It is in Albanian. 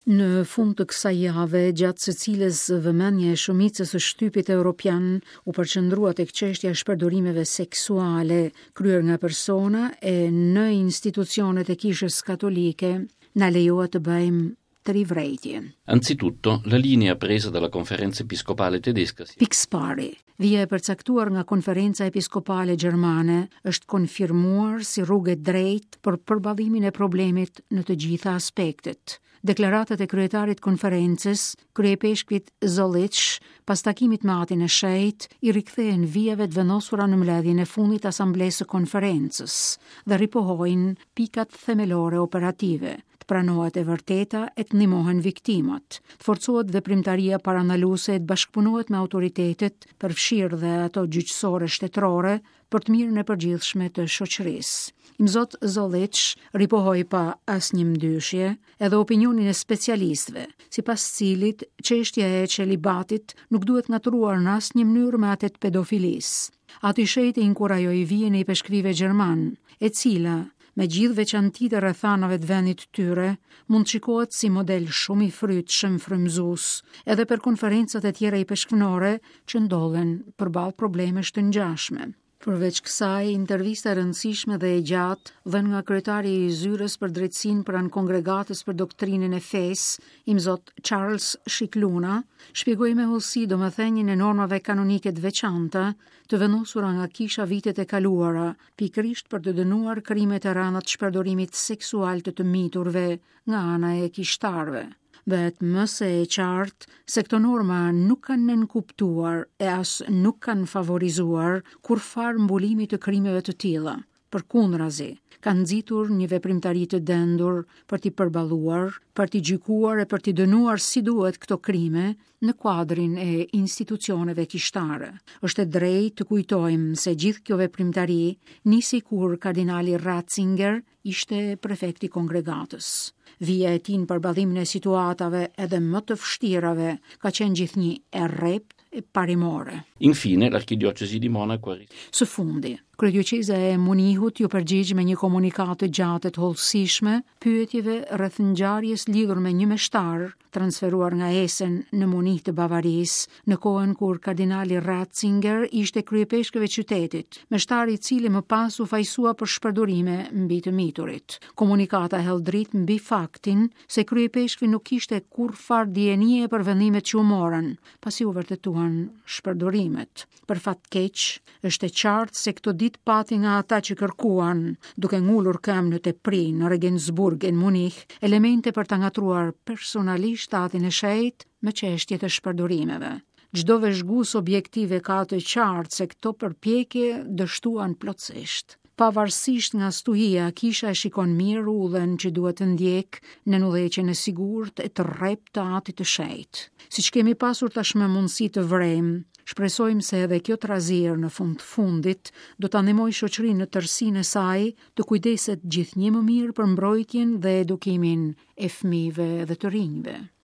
Në fund të kësaj jave, gjatë së cilës vëmendja e shumicës së shtypit europian u përqendrua tek çështja e shpërdorimeve seksuale kryer nga persona e në institucionet e Kishës Katolike, na lejohet të bëjmë tri vërejtje. Anzitutto, la linea presa dalla Conferenza Episcopale Tedesca si Pikësëpari, vija e përcaktuar nga Konferenca Episkopale Gjermane është konfirmuar si rrugë e drejtë për përballimin e problemit në të gjitha aspektet. Deklaratat e kryetarit të konferencës, kryeipeshkvit Zollitsch, pas takimit me Atin e Shenjtë, i rikthehen vijave të vendosura në mbledhjen e fundit të Asamblesë së Konferencës dhe ripohojnë pikat themelore operative, të pranohet e vërteta e të ndihmohen viktimat, të forcohet veprimtaria parandaluese e të bashkëpunohet me autoritetet, përfshirë dhe ato gjyqësore shtetërore, për të mirën e përgjithshme të shoqërisë. Imzot Zollitsch ripohoi pa asnjë mëdyshje edhe opinionin e specialistëve, sipas cilit çështja e çelibatit nuk duhet ngatërruar në asnjë mënyrë me atë të pedofilisë. Ati i Shenjtë inkurajoi vijën e ipeshkvijve gjermanë, e cila, me gjithë veçantitë e rrethanave të vendit të tyre, mund të shikohet si model shumë i frytshëm frymëzues edhe për konferencat e tjera ipeshkvnore që ndodhen përballë problemesh të ngjashme. Përveç kësaj, intervista e rëndësishme dhe e gjatë, dhënë nga kryetari i Zyrës për Drejtësinë pranë Kongregatës për Doktrinën e Fesë, Imzot Charles Scicluna, shpjegoi me hollësi domethënien e normave kanonike të veçanta të vendosura nga kisha vitet e kaluara pikërisht për të dënuar krimet e rënda të shpërdorimit seksual të të miturve nga ana e kishtarëve. Bëhet më se e qartë se këto norma nuk kanë nënkuptuar e as nuk kanë favorizuar kurrfarë mbulimi të krimeve të tilla. Përkundrazi, kanë nxitur një veprimtari të dendur për t'i përballuar, për t'i gjykuar e për t'i dënuar si duhet këto krime në kuadrin e institucioneve kishtare. Është e drejtë të kujtojmë se gjithë kjo veprimtari nisi kur kardinali Ratzinger ishte prefekt i kongregatës. Vija e tij në përballimin e situatave edhe më të vështirave ka qenë gjithnjë e rreptë e parimore. Infine, l'archidiocesi di Monaco ha Së fundi, kryedioqeza e Munihut iu përgjigj me një komunikatë të gjatë e të hollësishme pyetjeve rreth ngjarjes lidhur me një meshtar transferuar nga Essen në Munih të Bavarisë, në kohën kur kardinali Ratzinger ishte kryeipeshkëv i qytetit, meshtar i cili më pas u fajësua për shpërdorime mbi të miturit. Komunikata hedh dritë mbi faktin se kryeipeshkvi nuk kishte kurrfarë dijenie për vendimet që u morën, pasi u vërtetuan shpërdorimet. Për fat të keq, është e qartë se këto ditë pati nga ata që kërkuan, duke ngulur këmbë në tepri në Regensburg e në Munih, elemente për ta ngatërruar personalisht Atin e Shenjtë me çështjet e shpërdorimeve. Çdo vëzhgues objektiv e ka të qartë se këto përpjekje dështuan plotësisht. Pavarësisht nga stuhia, kisha e shikon mirë udhën që duhet të ndjekë nën udhëheqjen e sigurt e të rreptë të Atit të Shenjtë. Siç kemi pasur tashmë mundësi të vërejmë, shpresojmë se edhe kjo trazirë në fund të fundit do ta ndihmojë shoqërinë në tërësinë e saj të kujdeset gjithnjë më mirë për mbrojtjen dhe edukimin e fëmijëve dhe të rinjve.